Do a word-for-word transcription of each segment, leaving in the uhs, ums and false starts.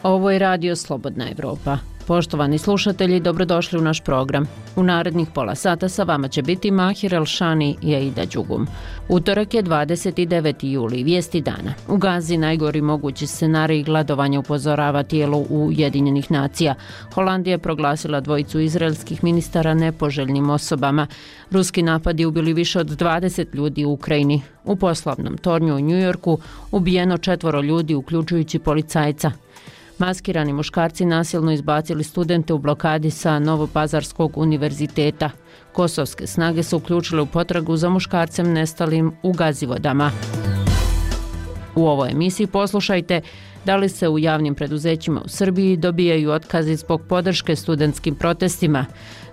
Ovo je radio Slobodna Evropa. Poštovani slušatelji, dobrodošli u naš program. U narednih pola sata sa vama će biti Mahir Elšani i Aida Đugum. Utorak je dvadeset deveti juli, vijesti dana. U Gazi najgori mogući scenarij gladovanja upozorava tijelo Ujedinjenih nacija. Holandija je proglasila dvojicu izraelskih ministara nepoželjnim osobama. Ruski napadi ubili više od dvadeset ljudi u Ukrajini. U poslovnom tornju u Njujorku ubijeno četvoro ljudi, uključujući policajca. Maskirani muškarci nasilno izbacili studente u blokadi sa Novopazarskog univerziteta. Kosovske snage su uključile u potragu za muškarcem nestalim u Gazivodama. U ovoj emisiji poslušajte da li se u javnim preduzećima u Srbiji dobijaju otkazi zbog podrške studentskim protestima.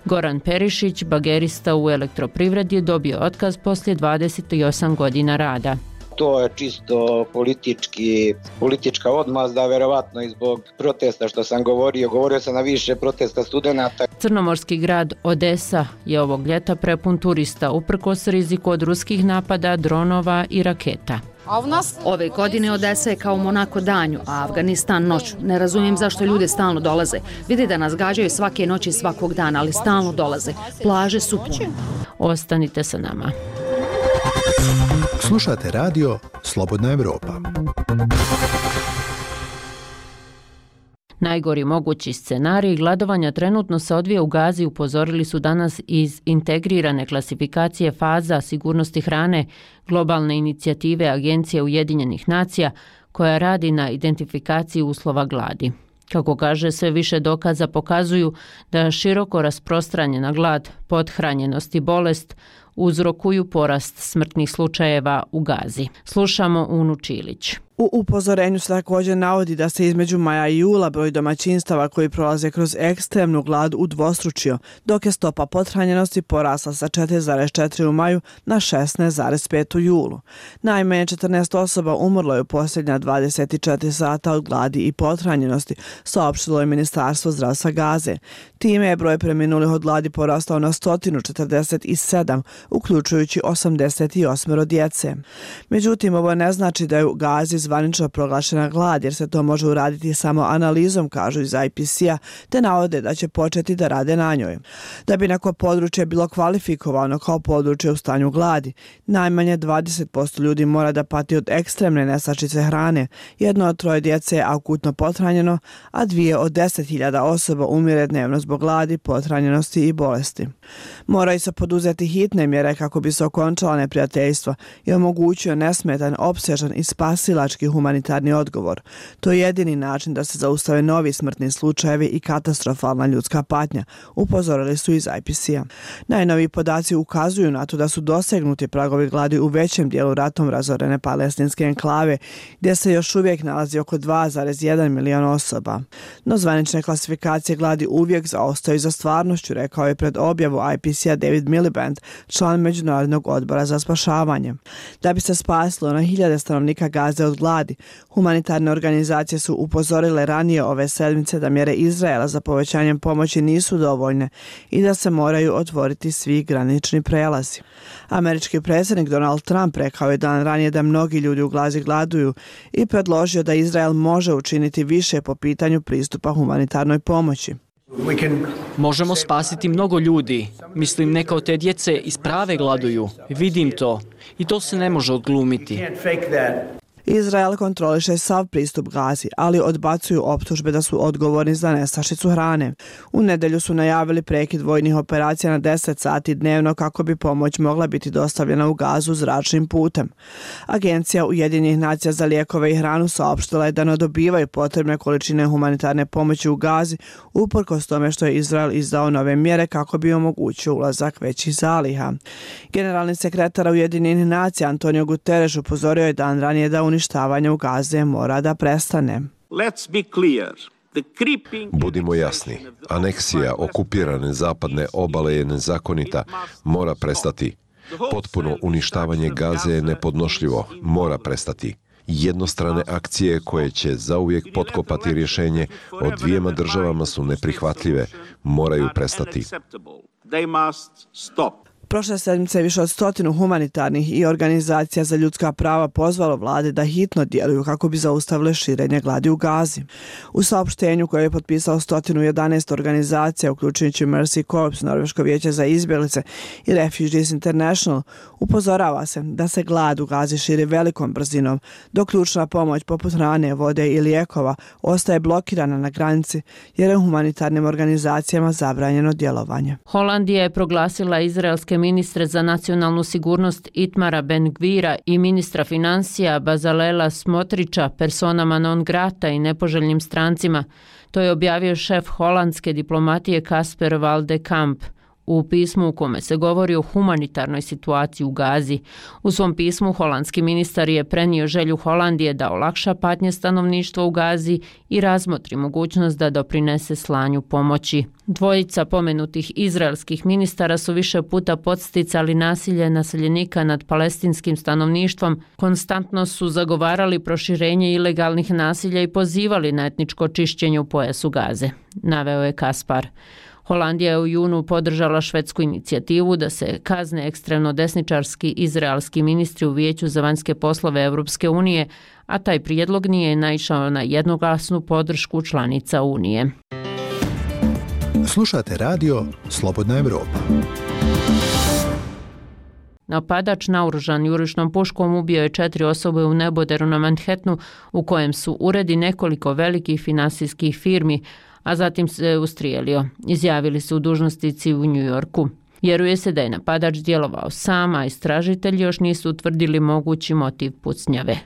Goran Perišić, bagerista u elektroprivredi, je dobio otkaz poslije dvadeset osam godina rada. To je čisto politički, politička odmazda, verovatno i zbog protesta što sam govorio. Govorio sam na više protesta studenata. Crnomorski grad Odesa je ovog ljeta prepun turista, uprkos riziku od ruskih napada, dronova i raketa. Ove godine Odesa je kao Monako danju, a Afganistan noću. Ne razumijem zašto ljude stalno dolaze. Vidi da nas gađaju svake noći svakog dana, ali stalno dolaze. Plaže su pune. Ostanite sa nama. Slušate radio Slobodna Evropa. Najgori mogući scenarij gladovanja trenutno se odvija u Gazi, upozorili su danas iz integrirane klasifikacije faza sigurnosti hrane globalne inicijative Agencije Ujedinjenih nacija koja radi na identifikaciji uslova gladi. Kako kaže, sve više dokaza pokazuju da široko rasprostranjena glad, pothranjenost i bolest uzrokuju porast smrtnih slučajeva u Gazi. Slušamo Unu Čilić. U upozorenju se također navodi da se između maja i jula broj domaćinstava koji prolaze kroz ekstremnu glad udvostručio, dok je stopa pothranjenosti porasla sa četiri zarez četiri u maju na šesnaest zarez pet u julu. Najmanje četrnaest osoba umrlo je u posljednja dvadeset četiri sata od gladi i pothranjenosti, saopštilo je Ministarstvo zdravstva Gaze. Time je broj preminulih od gladi porastao na sto četrdeset sedam, uključujući osamdeset osam djece. Međutim, ovo ne znači da je u Gazi zvanično proglašena glad, jer se to može uraditi samo analizom, kažu iz I P C-a, te navode da će početi da rade na njoj. Da bi neko područje bilo kvalifikovano kao područje u stanju gladi, najmanje dvadeset posto ljudi mora da pati od ekstremne nestašice hrane, jedno od troje djece je akutno pothranjeno, a dvije od deset hiljada osoba umire dnevno zbog gladi, pothranjenosti i bolesti. Moraju se poduzeti hitne mjere kako bi se okončala neprijateljstva i omogućio nesmetan, opsežan i spasilački humanitarni odgovor. To je jedini način da se zaustave novi smrtni slučajevi i katastrofalna ljudska patnja, upozorili su iz I P C-a. Najnoviji podaci ukazuju na to da su dosegnuti pragovi gladi u većem dijelu ratom razorene palestinske enklave, gdje se još uvijek nalazi oko dva zarez jedan miliona osoba. No zvanične klasifikacije gladi uvijek zaostaju za stvarnošću, rekao je pred objavu I P C-a David Miliband, član Međunarodnog odbora za spašavanje. Da bi se spasilo na hiljade stanovnika Gaze od gladi, humanitarne organizacije su upozorile ranije ove sedmice da mjere Izraela za povećanjem pomoći nisu dovoljne i da se moraju otvoriti svi granični prelazi. Američki predsjednik Donald Trump rekao je dan ranije da mnogi ljudi u Gazi gladuju i predložio da Izrael može učiniti više po pitanju pristupa humanitarnoj pomoći. Možemo spasiti mnogo ljudi. Mislim, neka od te djece isprave gladuju. Vidim to. I to se ne može odglumiti. Izrael kontroliše sav pristup Gazi, ali odbacuju optužbe da su odgovorni za nestašicu hrane. U nedelju su najavili prekid vojnih operacija na deset sati dnevno kako bi pomoć mogla biti dostavljena u Gazu zračnim putem. Agencija Ujedinjenih nacija za lijekove i hranu saopštila je da ne dobivaju potrebne količine humanitarne pomoći u Gazi, uprkos tome što je Izrael izdao nove mjere kako bi omogućio ulazak većih zaliha. Generalni sekretar Ujedinjenih nacija Antonio Guterres upozorio je dan ranije da uništavanje u Gaze mora da prestane. Budimo jasni, aneksija okupirane zapadne obale je nezakonita, mora prestati. Potpuno uništavanje Gaze je nepodnošljivo, mora prestati. Jednostrane akcije koje će zauvijek potkopati rješenje o dvijema državama su neprihvatljive, moraju prestati. Prošle sedmice je više od stotinu humanitarnih i organizacija za ljudska prava pozvalo vlade da hitno djeluju kako bi zaustavile širenje gladi u Gazi. U saopštenju koje je potpisao sto jedanaest organizacija, uključujući Mercy Corps, Norveško vijeće za izbjeglice i Refugees International, upozorava se da se glad u Gazi širi velikom brzinom, dok ključna pomoć poput hrane, vode i lijekova ostaje blokirana na granici jer je humanitarnim organizacijama zabranjeno djelovanje. Holandija je proglasila izraelske ministre za nacionalnu sigurnost Itmara Ben-Gvira i ministra financija Bazalela Smotrića personama non grata i nepoželjnim strancima. To je objavio šef holandske diplomatije Kasper Valdekamp u pismu u kome se govori o humanitarnoj situaciji u Gazi. U svom pismu holandski ministar je prenio želju Holandije da olakša patnje stanovništva u Gazi i razmotri mogućnost da doprinese slanju pomoći. Dvojica pomenutih izraelskih ministara su više puta podsticali nasilje naseljenika nad palestinskim stanovništvom, konstantno su zagovarali proširenje ilegalnih nasilja i pozivali na etničko čišćenje u pojasu Gaze, naveo je Kaspar. Holandija je u junu podržala švedsku inicijativu da se kazne ekstremno desničarski izraelski ministri u Vijeću za vanjske poslove Europske unije, a taj prijedlog nije naišao na jednoglasnu podršku članica Unije. Slušate radio Slobodna Evropa. Napadač naoružan jurišnom puškom ubio je četiri osobe u neboderu na Manhattanu, u kojem su uredi nekoliko velikih finansijskih firmi, a zatim se ustrijelio, izjavili su dužnosnici u New Yorku. Vjeruje se da je napadač djelovao sam, a istražitelji još nisu utvrdili mogući motiv pucnjave.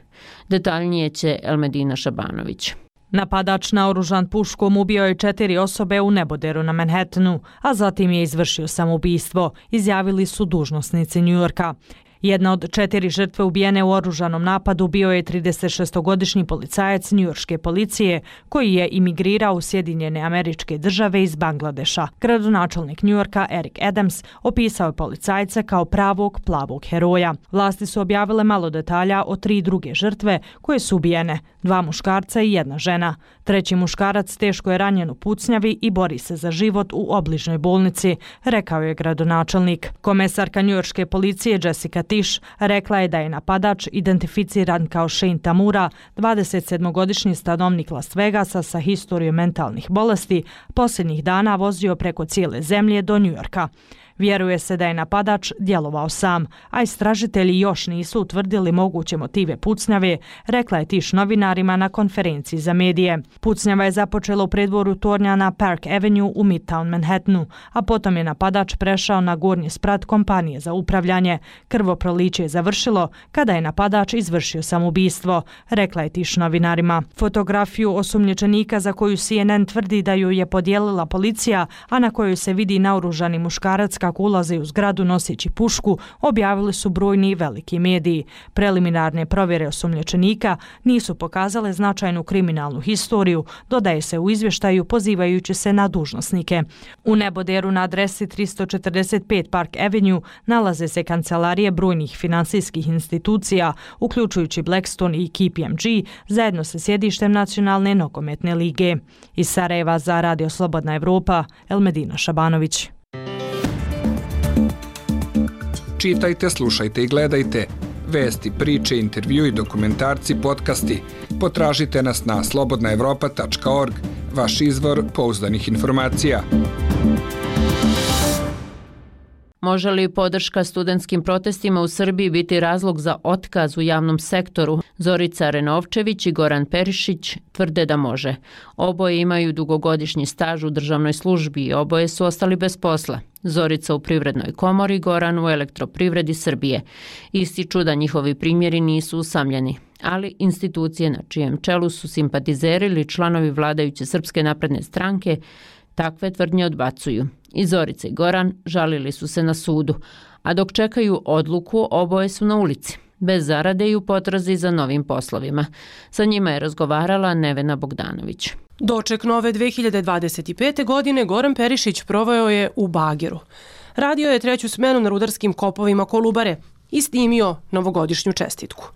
Detaljnije će Elmedina Šabanović. Napadač naoružan puškom ubio je četiri osobe u neboderu na Manhattanu, a zatim je izvršio samoubistvo, izjavili su dužnosnici New Yorka. Jedna od četiri žrtve ubijene u oružanom napadu bio je tridesetšestogodišnji policajac njujorške policije koji je imigrirao u Sjedinjene Američke Države iz Bangladeša. Gradonačelnik Njujorka Eric Adams opisao je policajce kao pravog plavog heroja. Vlasti su objavile malo detalja o tri druge žrtve koje su ubijene, dva muškarca i jedna žena. Treći muškarac teško je ranjen u pucnjavi i bori se za život u obližnjoj bolnici, rekao je gradonačelnik. Komesarka njujorške policije Jessica Tisch rekla je da je napadač identificiran kao Shane Tamura, dvadesetsedmogodišnji stanovnik Las Vegasa sa historijom mentalnih bolesti, posljednjih dana vozio preko cijele zemlje do Njujorka. Vjeruje se da je napadač djelovao sam, a istražitelji još nisu utvrdili moguće motive pucnjave, rekla je Tisch novinarima na konferenciji za medije. Pucnjava je započela u predvoru tornja na Park Avenue u Midtown Manhattanu, a potom je napadač prešao na gornji sprat kompanije za upravljanje. Krvoproliće je završilo kada je napadač izvršio samoubistvo, rekla je Tisch novinarima. Fotografiju osumnjičenika za koju C N N tvrdi da ju je podijelila policija, a na kojoj se vidi naoružani muškarac kako ulaze u zgradu noseći pušku, objavili su brojni i veliki mediji. Preliminarne provjere osumnjičenika nisu pokazale značajnu kriminalnu historiju, dodaje se u izvještaju pozivajući se na dužnosnike. U neboderu na adresi tristo četrdeset pet Park Avenue nalaze se kancelarije brojnih finansijskih institucija, uključujući Blackstone i K P M G, zajedno sa sjedištem Nacionalne nogometne lige. Iz Sarajeva za Radio Slobodna Evropa, Elmedina Šabanović. Čitajte, slušajte i gledajte. Vesti, priče, intervju i dokumentarci, podcasti. Potražite nas na slobodna evropa tačka org, vaš izvor pouzdanih informacija. Može li podrška studentskim protestima u Srbiji biti razlog za otkaz u javnom sektoru? Zorica Renovčević i Goran Perišić tvrde da može. Oboje imaju dugogodišnji staž u državnoj službi i oboje su ostali bez posla. Zorica u Privrednoj komori, Goran u Elektroprivredi Srbije. Ističu da njihovi primjeri nisu usamljeni, ali institucije na čijem čelu su simpatizeri ili članovi vladajuće Srpske napredne stranke takve tvrdnje odbacuju. I Zorica i Goran žalili su se na sudu, a dok čekaju odluku, oboje su na ulici, bez zarade i u potrazi za novim poslovima. Sa njima je razgovarala Nevena Bogdanović. Doček nove dve hiljade dvadeset pete. godine Goran Perišić proveo je u bageru. Radio je treću smenu na rudarskim kopovima Kolubare i snimio novogodišnju čestitku.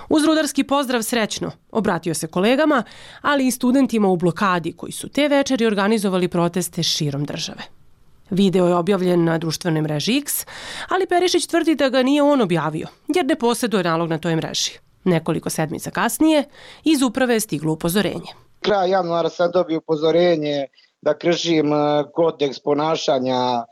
Uz rudarski pozdrav srećno obratio se kolegama, ali i studentima u blokadi koji su te večeri organizovali proteste širom države. Video je objavljen na društvenoj mreži X, ali Perišić tvrdi da ga nije on objavio, jer ne posjeduje nalog na toj mreži. Nekoliko sedmica kasnije iz uprave je stiglo upozorenje. Kraj januara sam dobio upozorenje da kršim kodeks ponašanja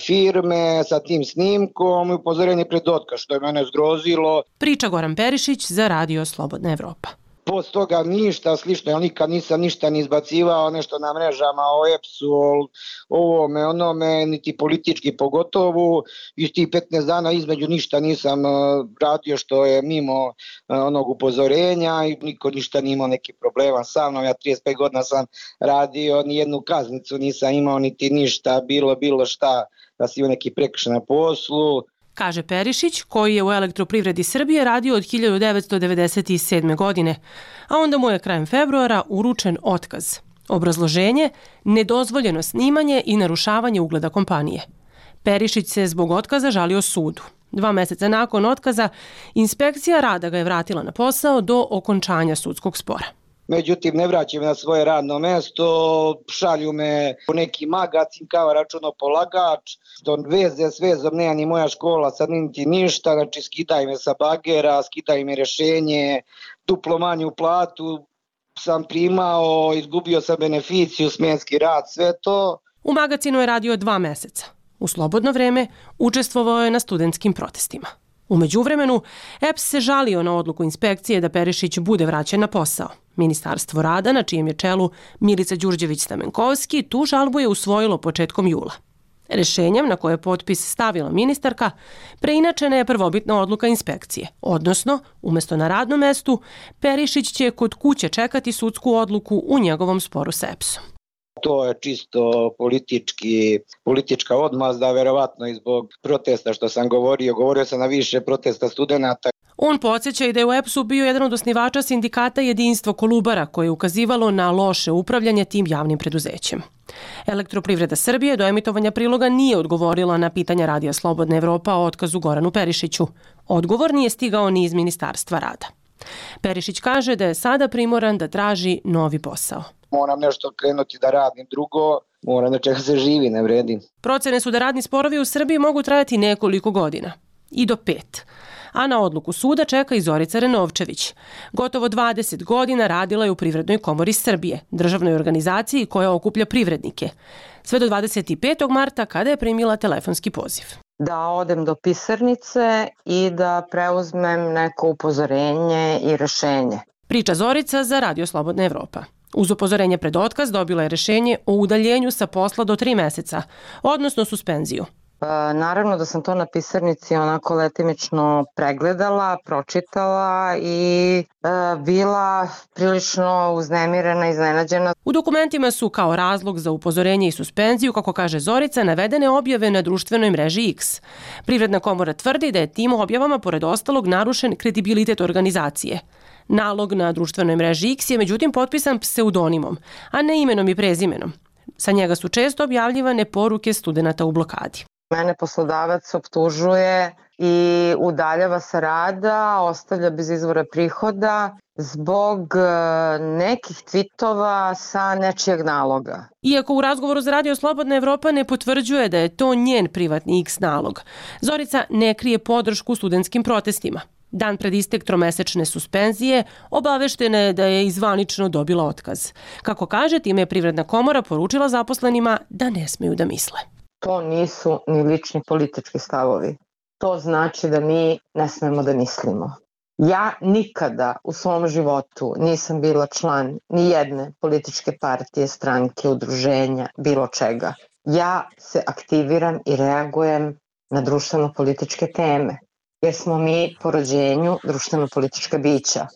firme sa tim snimkom i upozorenje pred otkaz, što je mene zgrozilo. Priča Goran Perišić za radio Slobodna Evropa. Post toga ništa slično, ja nikad nisam ništa ni izbacivao, nešto na mrežama o E P S-u, o ovome, onome, niti politički pogotovo. Iz tih petnaest dana između ništa nisam radio što je mimo onog upozorenja i niko ništa nije imao neki problema sa mnom. Ja trideset pet godina sam radio, ni jednu kaznicu nisam imao, niti ništa, bilo, bilo šta da si imao neki prekršaj na poslu. Kaže Perišić, koji je u Elektroprivredi Srbije radio od hiljadu devetsto devedeset sedme. godine, a onda mu je krajem februara uručen otkaz. Obrazloženje, nedozvoljeno snimanje i narušavanje ugleda kompanije. Perišić se zbog otkaza žalio sudu. Dva meseca nakon otkaza, inspekcija rada ga je vratila na posao do okončanja sudskog spora. Međutim, ne vraćam na svoje radno mesto, šalju me u neki magazin kao računopolagač, što veze s vezom nema ni moja škola, sad niti ništa, znači skidaj me sa bagera, skidaj me rješenje, duplo manju platu sam primao, izgubio sam beneficiju, smjenski rad, sve to. U magazinu je radio dva meseca. U slobodno vreme učestvovao je na studentskim protestima. U međuvremenu, E P S se žalio na odluku inspekcije da Perišić bude vraćen na posao. Ministarstvo rada, na čijem je čelu Milica Đurđević-Stamenkovski, tu žalbu je usvojilo početkom jula. Rešenjem na koje je potpis stavila ministarka, preinačena je prvobitna odluka inspekcije, odnosno, umjesto na radnom mestu, Perišić će kod kuće čekati sudsku odluku u njegovom sporu s E P S-om. To je čisto politički, politička odmazda, verovatno i zbog protesta što sam govorio. Govorio sam na više protesta studenata. On podsjeća i da je u E P S-u bio jedan od osnivača sindikata Jedinstvo Kolubara, koje je ukazivalo na loše upravljanje tim javnim preduzećem. Elektroprivreda Srbije do emitovanja priloga nije odgovorila na pitanja Radija Slobodna Evropa o otkazu Goranu Perišiću. Odgovor nije stigao ni iz Ministarstva rada. Perišić kaže da je sada primoran da traži novi posao. Moram nešto krenuti da radim drugo, moram da čeka se živi, ne vredi. Procene su da radni sporovi u Srbiji mogu trajati nekoliko godina, i do pet. A na odluku suda čeka i Zorica Renovčević. Gotovo dvadeset godina radila je u Privrednoj komori Srbije, državnoj organizaciji koja okuplja privrednike. Sve do dvadeset petog marta kada je primila telefonski poziv. Da odem do pisarnice i da preuzmem neko upozorenje i rešenje. Priča Zorica za Radio Slobodna Evropa. Uz upozorenje pred otkaz dobila je rešenje o udaljenju sa posla do tri meseca, odnosno suspenziju. Naravno da sam to na pisarnici onako letimično pregledala, pročitala i e, bila prilično uznemirena, iznenađena. U dokumentima su kao razlog za upozorenje i suspenziju, kako kaže Zorica, navedene objave na društvenoj mreži X. Privredna komora tvrdi da je tim objavama pored ostalog narušen kredibilitet organizacije. Nalog na društvenoj mreži X je međutim potpisan pseudonimom, a ne imenom i prezimenom. Sa njega su često objavljivane poruke studenata u blokadi. Mene poslodavac optužuje i udaljava sa rada, ostavlja bez izvora prihoda zbog nekih tvitova sa nečijeg naloga. Iako u razgovoru za Radio Slobodna Evropa ne potvrđuje da je to njen privatni X nalog, Zorica ne krije podršku studentskim protestima. Dan pred istek tromesečne suspenzije obaveštena je da je izvanično dobila otkaz. Kako kaže, time je Privredna komora poručila zaposlenima da ne smeju da misle. To nisu ni lični politički stavovi. To znači da mi ne smemo da mislimo. Ja nikada u svom životu nisam bila član ni jedne političke partije, stranke, udruženja, bilo čega. Ja se aktiviram i reagujem na društveno-političke teme, jer smo mi po rođenju društveno-politička bića.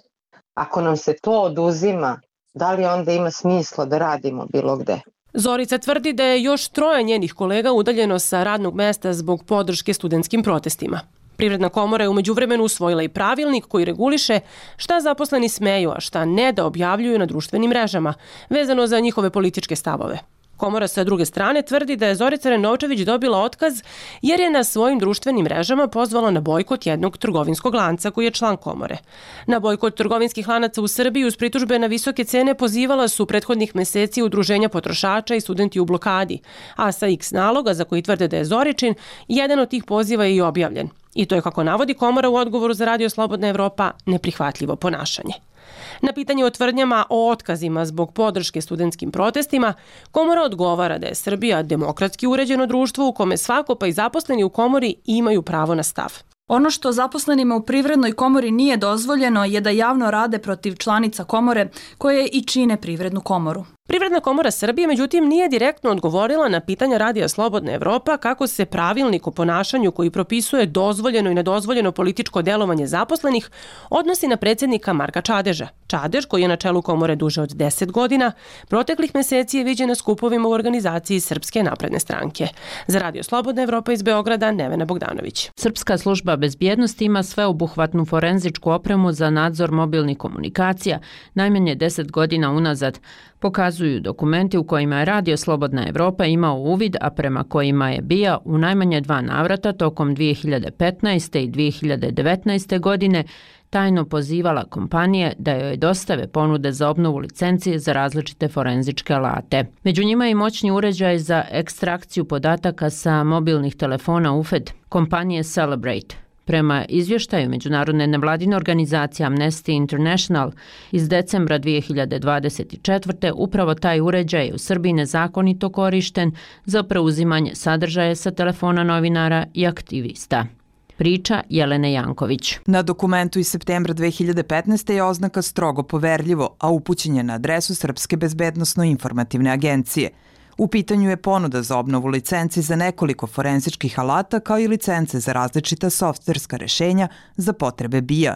Ako nam se to oduzima, da li onda ima smisla da radimo bilo gde? Zorica tvrdi da je još troje njenih kolega udaljeno sa radnog mesta zbog podrške studentskim protestima. Privredna komora je u međuvremenu usvojila i pravilnik koji reguliše šta zaposleni smeju, a šta ne da objavljuju na društvenim mrežama, vezano za njihove političke stavove. Komora sa druge strane tvrdi da je Zorica Renovčević dobila otkaz jer je na svojim društvenim mrežama pozvala na bojkot jednog trgovinskog lanca koji je član komore. Na bojkot trgovinskih lanaca u Srbiji uz pritužbe na visoke cene pozivala su prethodnih meseci udruženja potrošača i studenti u blokadi, a sa X naloga za koji tvrde da je Zoričin, jedan od tih poziva je i objavljen. I to je, kako navodi komora u odgovoru za Radio Slobodna Evropa, neprihvatljivo ponašanje. Na pitanje o tvrdnjama o otkazima zbog podrške studentskim protestima, komora odgovara da je Srbija demokratski uređeno društvo u kome svako pa i zaposleni u komori imaju pravo na stav. Ono što zaposlenima u Privrednoj komori nije dozvoljeno je da javno rade protiv članica komore koje i čine Privrednu komoru. Privredna komora Srbije, međutim, nije direktno odgovorila na pitanja Radija Slobodna Evropa kako se pravilnik o ponašanju koji propisuje dozvoljeno i nedozvoljeno političko delovanje zaposlenih odnosi na predsjednika Marka Čadeža. Čadež, koji je na čelu komore duže od deset godina, proteklih meseci je viđen na skupovima u organizaciji Srpske napredne stranke. Za Radio Slobodna Evropa iz Beograda, Nevena Bogdanović. Srpska služba bezbjednosti ima sveobuhvatnu forenzičku opremu za nadzor mobilnih komunikacija najmanje deset godina unazad, pokazuju dokumenti u kojima je Radio Slobodna Evropa imao uvid, a prema kojima je B I A u najmanje dva navrata tokom dvije hiljade petnaeste. i dvije hiljade devetnaeste. godine tajno pozivala kompanije da joj dostave ponude za obnovu licencije za različite forenzičke alate. Među njima je i moćni uređaj za ekstrakciju podataka sa mobilnih telefona U F E D, kompanije Celebrate. Prema izvještaju međunarodne nevladine organizacije Amnesty International iz decembra dvije hiljade dvadeset četvrte. upravo taj uređaj je u Srbiji nezakonito korišten za preuzimanje sadržaja sa telefona novinara i aktivista. Priča Jelene Janković. Na dokumentu iz septembra dve hiljade petnaeste. je oznaka strogo poverljivo, a upućen je na adresu Srpske bezbednosno-informativne agencije. U pitanju je ponuda za obnovu licenci za nekoliko forenzičkih alata kao i licence za različita softverska rešenja za potrebe B I A.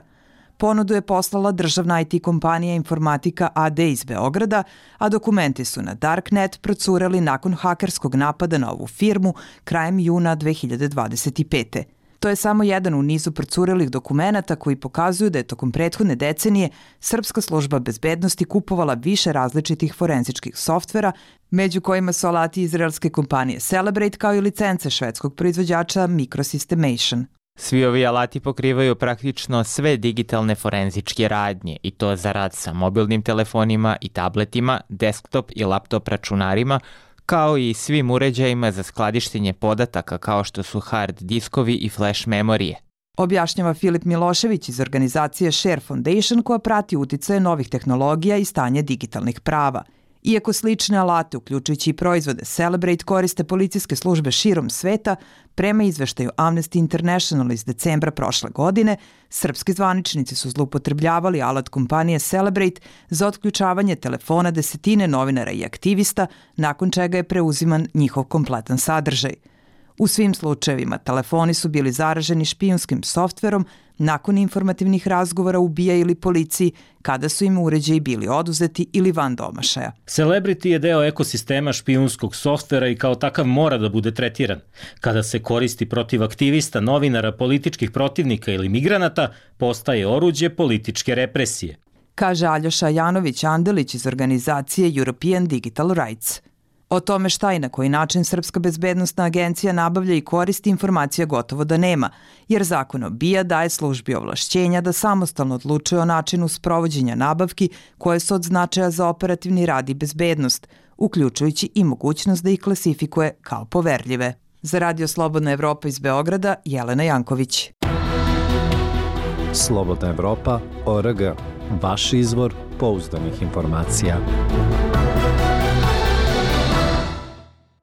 Ponudu je poslala državna I T kompanija Informatika A D iz Beograda, a dokumenti su na Darknet procureli nakon hakerskog napada na ovu firmu krajem juna dve hiljade dvadeset pete. To je samo jedan u nizu procurelih dokumenata koji pokazuju da je tokom prethodne decenije Srpska služba bezbednosti kupovala više različitih forenzičkih softvera, među kojima su alati izraelske kompanije Celebrate kao i licence švedskog proizvođača Microsystemation. Svi ovi alati pokrivaju praktično sve digitalne forenzičke radnje i to za rad sa mobilnim telefonima i tabletima, desktop i laptop računarima, kao i svim uređajima za skladištenje podataka kao što su hard diskovi i flash memorije. Objašnjava Filip Milošević iz organizacije Share Foundation koja prati uticaje novih tehnologija i stanje digitalnih prava. Iako slične alate, uključujući i proizvode Celebrate, koriste policijske službe širom sveta, prema izveštaju Amnesty International iz decembra prošle godine, srpski zvaničnici su zloupotrebljavali alat kompanije Celebrate za otključavanje telefona desetine novinara i aktivista, nakon čega je preuziman njihov kompletan sadržaj. U svim slučajevima telefoni su bili zaraženi špijunskim softverom nakon informativnih razgovora u B I A ili policiji kada su im uređaji bili oduzeti ili van domašaja. Celebrity je deo ekosistema špijunskog softvera i kao takav mora da bude tretiran. Kada se koristi protiv aktivista, novinara, političkih protivnika ili migranata, postaje oruđe političke represije. Kaže Aljoša Janović-Andelić iz organizacije European Digital Rights. O tome šta i na koji način Srpska bezbednosna agencija nabavlja i koristi informacija gotovo da nema, jer zakon o B I A daje službi ovlašćenja da samostalno odlučuje o načinu sprovođenja nabavki koje su od značaja za operativni rad i bezbednost, uključujući i mogućnost da ih klasifikuje kao poverljive. Za Radio Slobodna Evropa iz Beograda, Jelena Janković. Slobodna Evropa, O R G, vaš izvor pouzdanih informacija.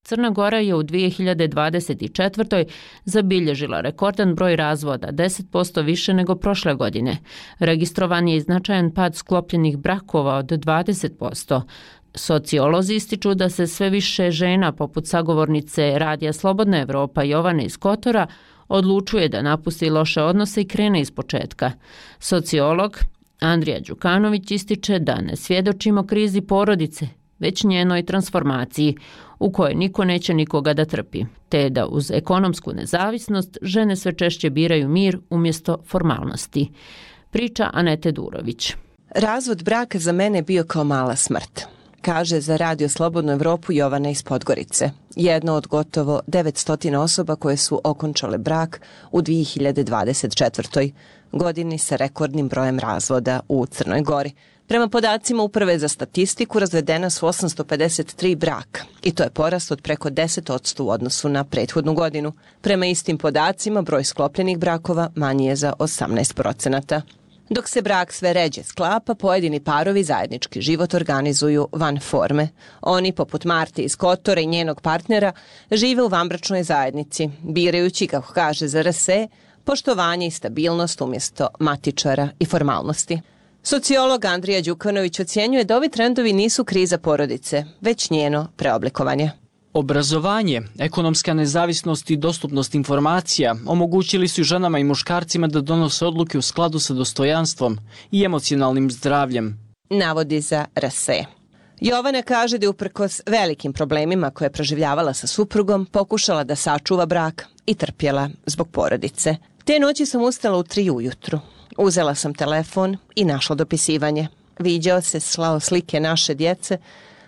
Crna Gora je u dvije hiljade dvadeset četvrtoj. zabilježila rekordan broj razvoda, deset posto više nego prošle godine. Registrovan je i značajan pad sklopljenih brakova od dvadeset posto. Sociolozi ističu da se sve više žena, poput sagovornice Radija Slobodna Evropa Jovane iz Kotora, odlučuje da napusti loše odnose i krene iz početka. Sociolog Andrija Đukanović ističe da ne svjedočimo krizi porodice, već njenoj transformaciji, u kojoj niko neće nikoga da trpi, te da uz ekonomsku nezavisnost žene sve češće biraju mir umjesto formalnosti. Priča Anete Durović. Razvod braka za mene je bio kao mala smrt. kaže za Radio Slobodnu Evropu Jovana iz Podgorice, jedno od gotovo devetsto osoba koje su okončale brak u dvije hiljade dvadeset četvrtoj godini sa rekordnim brojem razvoda u Crnoj Gori. Prema podacima Uprave za statistiku razvedena su osamsto pedeset tri braka i to je porast od preko deset posto u odnosu na prethodnu godinu. Prema istim podacima broj sklopljenih brakova manji je za osamnaest procenata. Dok se brak sve ređe sklapa, pojedini parovi zajednički život organizuju van forme. Oni, poput Marte iz Kotora i njenog partnera, žive u vanbračnoj zajednici, birajući, kako kaže Z R S E, poštovanje i stabilnost umjesto matičara i formalnosti. Sociolog Andrija Đukanović ocjenjuje da ovi trendovi nisu kriza porodice, već njeno preoblikovanje. Obrazovanje, ekonomska nezavisnost i dostupnost informacija omogućili su ženama i muškarcima da donose odluke u skladu sa dostojanstvom i emocionalnim zdravljem, navodi za R S E. Jovana kaže da je uprkos velikim problemima koje je proživljavala sa suprugom pokušala da sačuva brak i trpjela zbog porodice. Te noći sam ustala u tri ujutru. Uzela sam telefon i našla dopisivanje. Viđao se, slao slike naše djece.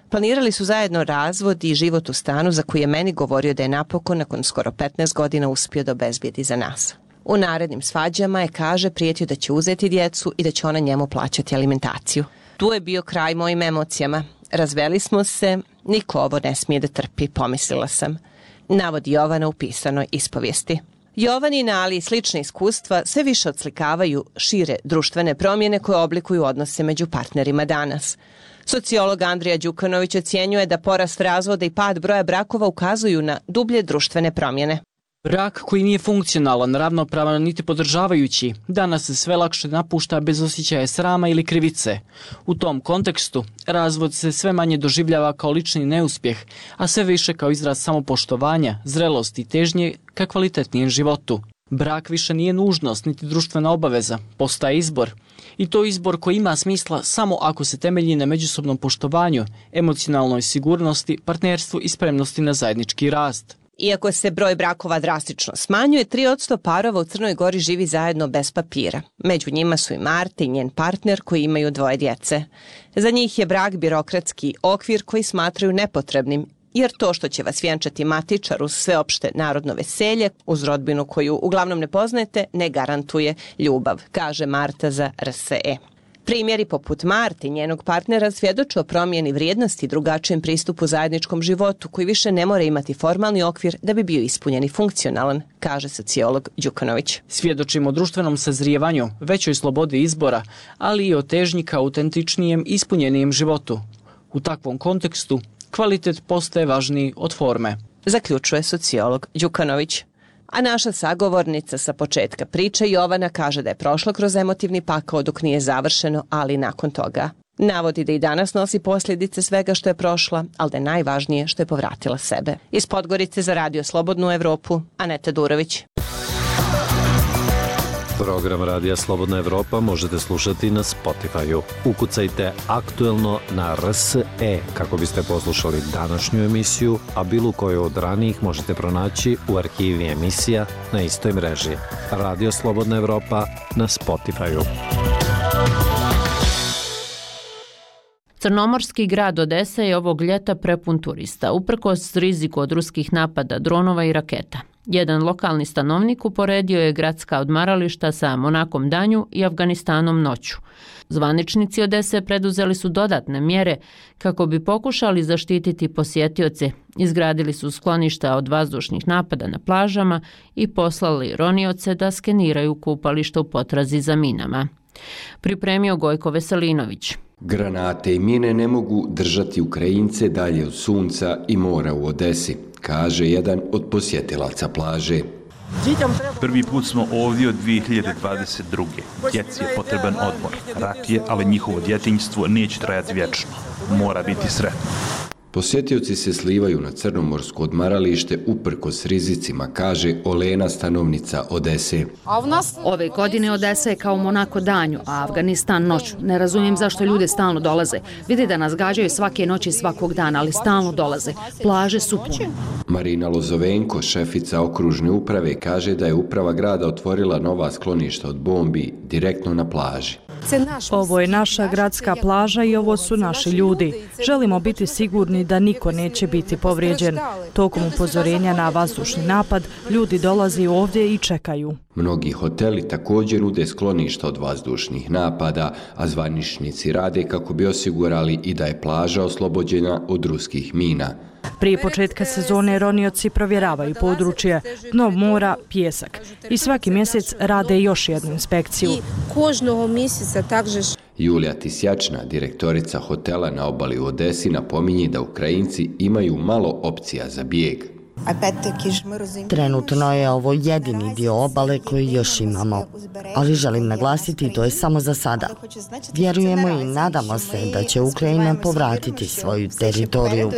Planirali su zajedno razvod i život u stanu za koji je meni govorio da je napokon nakon skoro petnaest godina uspio da obezbijedi za nas. U narednim svađama je, kaže, prijetio da će uzeti djecu i da će ona njemu plaćati alimentaciju. Tu je bio kraj mojim emocijama. Razveli smo se, niko ovo ne smije da trpi, pomislila sam. Navodi Jovana u pisanoj ispovijesti. Jovanina, ali i slične iskustva sve više odslikavaju šire društvene promjene koje oblikuju odnose među partnerima danas. Sociolog Andrija Đukanović ocjenjuje da porast razvoda i pad broja brakova ukazuju na dublje društvene promjene. Brak koji nije funkcionalan, ravnopravan niti podržavajući, danas se sve lakše napušta bez osjećaja srama ili krivice. U tom kontekstu, razvod se sve manje doživljava kao lični neuspjeh, a sve više kao izraz samopoštovanja, zrelosti i težnje ka kvalitetnijem životu. Brak više nije nužnost niti društvena obaveza, postaje izbor. I to izbor koji ima smisla samo ako se temelji na međusobnom poštovanju, emocionalnoj sigurnosti, partnerstvu i spremnosti na zajednički rast. Iako se broj brakova drastično smanjuje, tri posto parova u Crnoj Gori živi zajedno bez papira. Među njima su i Marta i njen partner koji imaju dvoje djece. Za njih je brak birokratski okvir koji smatraju nepotrebnim, jer to što će vas vjenčati matičar uz sveopšte narodno veselje, uz rodbinu koju uglavnom ne poznajete, ne garantuje ljubav, kaže Marta za R S E. Primjeri poput Marte i njenog partnera svjedoče o promjeni vrijednosti i drugačijem pristupu zajedničkom životu koji više ne mora imati formalni okvir da bi bio ispunjen i funkcionalan, kaže sociolog Đukanović. Svjedočimo o društvenom sazrijevanju, većoj slobodi izbora, ali i o težnji ka autentičnijem i ispunjenijem životu. U takvom kontekstu kvalitet postaje važniji od forme, zaključuje sociolog Đukanović. A naša sagovornica sa početka priče Jovana kaže da je prošla kroz emotivni pakao dok nije završeno, ali nakon toga. Navodi da i danas nosi posljedice svega što je prošla, ali da je najvažnije što je povratila sebe. Iz Podgorice za Radio Slobodnu Evropu, Aneta Durović. Program Radija Slobodna Evropa možete slušati na Spotify-u. Ukucajte aktuelno na R S E kako biste poslušali današnju emisiju, a bilo koju od ranijih možete pronaći u arhivi emisija na istoj mreži. Radio Slobodna Evropa na Spotify-u. Crnomorski grad Odesa je ovog ljeta prepun turista, uprkos riziku od ruskih napada dronova i raketa. Jedan lokalni stanovnik uporedio je gradska odmarališta sa Monakom danju i Afganistanom noću. Zvaničnici Odese preduzeli su dodatne mjere kako bi pokušali zaštititi posjetioce. Izgradili su skloništa od vazdušnih napada na plažama i poslali ronioce da skeniraju kupališta u potrazi za minama. Pripremio Gojko Veselinović. Granate i mine ne mogu držati Ukrajince dalje od sunca i mora u Odesi, kaže jedan od posjetilaca plaže. Prvi put smo ovdje od dvije hiljade dvadeset druge. Djeci je potreban odmor. Rat je, ali njihovo djetinjstvo neće trajati vječno. Mora biti sretno. Posjetioci se slivaju na crnomorsko odmaralište uprkos rizicima, kaže Olena, stanovnica Odese. Ove godine Odesa je kao Monako danju, a Afganistan noću. Ne razumijem zašto ljude stalno dolaze. Vide da nas gađaju svake noći svakog dana, ali stalno dolaze. Plaže su pune. Marina Lozovenko, šefica okružne uprave, kaže da je uprava grada otvorila nova skloništa od bombi direktno na plaži. Ovo je naša gradska plaža i ovo su naši ljudi. Želimo biti sigurni da niko neće biti povrijeđen. Tokom upozorenja na vazdušni napad, ljudi dolazi ovdje i čekaju. Mnogi hoteli također nude skloništa od vazdušnih napada, a zvaničnici rade kako bi osigurali i da je plaža oslobođena od ruskih mina. Prije početka sezone ronioci provjeravaju područje, dno mora, pjesak i svaki mjesec rade još jednu inspekciju. Julija Tisjačna, direktorica hotela na obali u Odesi, napominje da Ukrajinci imaju malo opcija za bijeg. Trenutno je ovo jedini dio obale koji još imamo, ali želim naglasiti to je samo za sada. Vjerujemo i nadamo se da će Ukrajina povratiti svoju teritoriju.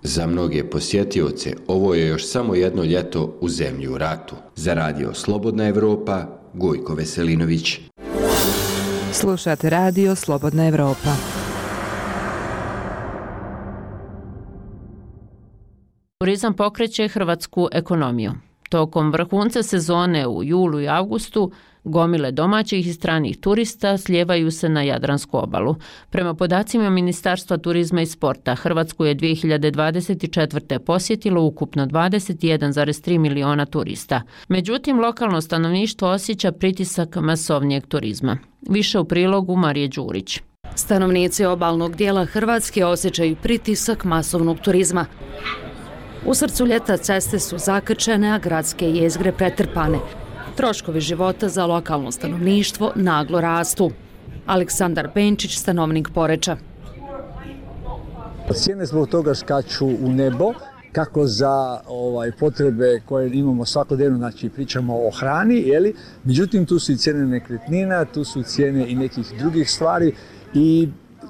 Za mnoge posjetioce ovo je još samo jedno ljeto u zemlji u ratu. Za radio Slobodna Evropa, Gojko Veselinović. Slušate radio Slobodna Evropa. Turizam pokreće hrvatsku ekonomiju. Tokom vrhunca sezone u julu i avgustu gomile domaćih i stranih turista slijevaju se na Jadransku obalu. Prema podacima Ministarstva turizma i sporta, Hrvatsku je dvije hiljade dvadeset četvrte posjetilo ukupno dvadeset jedan zarez tri miliona turista. Međutim, lokalno stanovništvo osjeća pritisak masovnijeg turizma. Više u prilogu Marije Đurić. Stanovnici obalnog dijela Hrvatske osjećaju pritisak masovnog turizma. U srcu ljeta ceste su zakrčene, a gradske jezgre pretrpane. Troškovi života za lokalno stanovništvo naglo rastu. Aleksandar Benčić, stanovnik Poreča. Cijene zbog toga skaču u nebo, kako za ovaj, potrebe koje imamo svakodnevno, znači pričamo o hrani, jeli? Međutim tu su i cijene nekretnina, tu su cijene i nekih drugih stvari i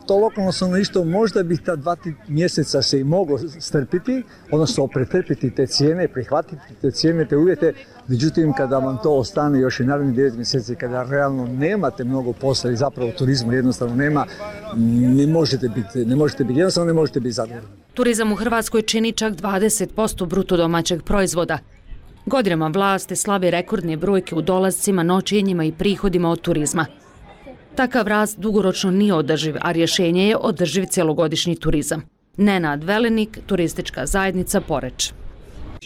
to lokalno stanovništvo možda bi ta dva mjeseca se i moglo strpiti, odnosno pretrpiti te cijene, prihvatiti te cijene, te uvjete. Međutim, kada vam to ostane još i narednih devet mjeseci, kada realno nemate mnogo posla i zapravo turizma jednostavno nema, ne možete biti, ne možete biti, jednostavno ne možete biti zadovoljni. Turizam u Hrvatskoj čini čak dvadeset posto bruto domaćeg proizvoda. Godinama vlasti slave rekordne brojke u dolascima, noćenjima i prihodima od turizma. Takav rast dugoročno nije održiv, a rješenje je održiv cjelogodišnji turizam. Nenad Velenik, turistička zajednica Poreč.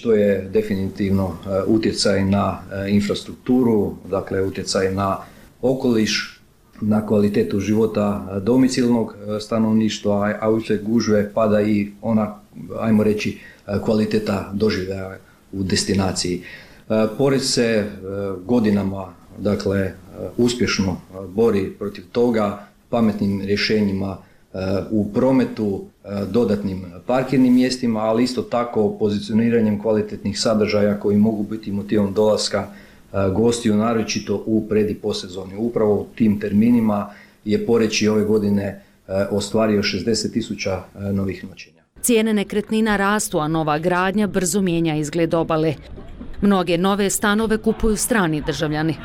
To je definitivno utjecaj na infrastrukturu, dakle utjecaj na okoliš, na kvalitetu života domicilnog stanovništva, a u sve gužve pada i ona, ajmo reći, kvaliteta doživljaja u destinaciji. Poreč se godinama, dakle, uspješno bori protiv toga pametnim rješenjima u prometu, dodatnim parkirnim mjestima, ali isto tako pozicioniranjem kvalitetnih sadržaja koji mogu biti motivom dolaska gostiju, naročito u pred- i posezoni. Upravo u tim terminima je Poreč i ove godine ostvario šezdeset tisuća novih noćenja. Cijene nekretnina rastu, a nova gradnja brzo mijenja izgled obale. Mnoge nove stanove kupuju strani državljani.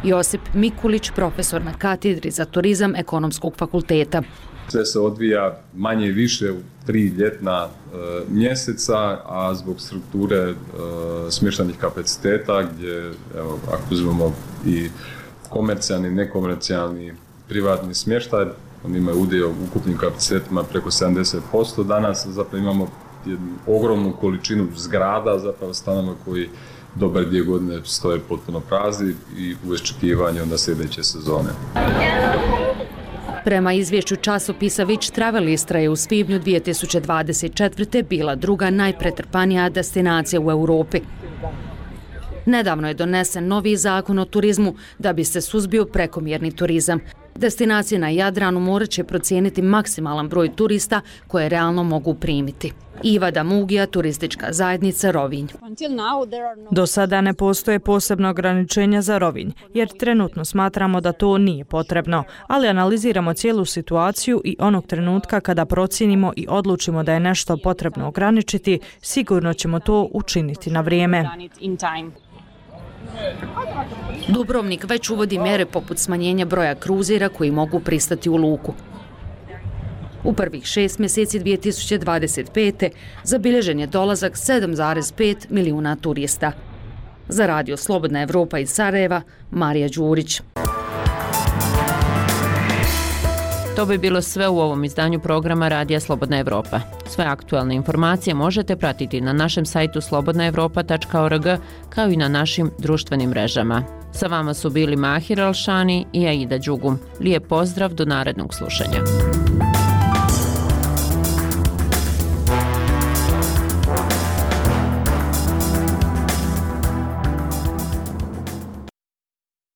Josip Mikulić, profesor na katedri za turizam Ekonomskog fakulteta. Sve se odvija manje i više u tri ljetna e, mjeseca, a zbog strukture e, smještajnih kapaciteta gdje, evo, ako uzmemo i komercijalni, nekomercijalni, privatni smještaj, oni imaju udio u ukupnim kapacitetima preko sedamdeset posto. Danas zapravo imamo jednu ogromnu količinu zgrada, zapravo stanova koji dobar dvije godine stoje potpuno prazni i u iščekivanju onda sljedeće sezone. Prema izvješću časopisa Which Travel Istra je u svibnju dvije tisuće dvadeset četvrte bila druga najpretrpanija destinacija u Europi. Nedavno je donesen novi zakon o turizmu da bi se suzbio prekomjerni turizam. Destinacije na Jadranu morat će procijeniti maksimalan broj turista koje realno mogu primiti. Iva Damugija, turistička zajednica Rovinj. Do sada ne postoje posebno ograničenja za Rovinj, jer trenutno smatramo da to nije potrebno, ali analiziramo cijelu situaciju i onog trenutka kada procijenimo i odlučimo da je nešto potrebno ograničiti, sigurno ćemo to učiniti na vrijeme. Dubrovnik već uvodi mjere poput smanjenja broja kruzira koji mogu pristati u luku. U prvih šest mjeseci dvije tisuće dvadeset pete zabilježen je dolazak sedam zarez pet milijuna turista. Za radio Slobodna Evropa iz Sarajeva, Marija Đurić. To bi bilo sve u ovom izdanju programa Radija Slobodna Evropa. Sve aktualne informacije možete pratiti na našem sajtu slobodna evropa tačka org kao i na našim društvenim mrežama. Sa vama su bili Mahir Alšani i Aida Đugum. Lijep pozdrav do narednog slušanja.